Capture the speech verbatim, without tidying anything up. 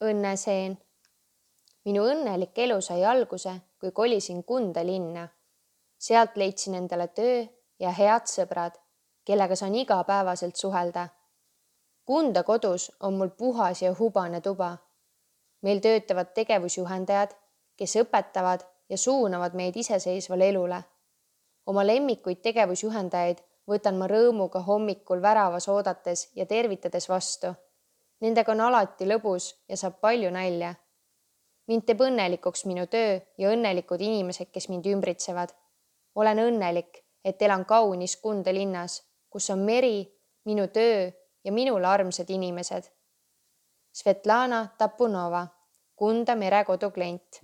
õnneseen. Minu õnnelik elu sai alguse, kui kolisin Kunda linna. Sealt leidsin endale töö ja head sõbrad, kellega saan igapäevaselt suhelda. Kunda kodus on mul puhas ja hubane tuba. Meil töötavad tegevusjuhendajad, kes õpetavad ja suunavad meid iseseisvale elule. Oma lemmikuid tegevusjuhendajaid võtan ma rõõmuga hommikul väravas oodates ja tervitades vastu. Nendega on alati lõbus ja saab palju nalja. Mind teeb õnnelikuks minu töö ja õnnelikud inimesed, kes mind ümbritsevad. Olen õnnelik, et elan kaunis Kunda linnas, kus on meri, minu töö ja minule armsad inimesed. Svetlana Tapunova, Kunda merekodu klient.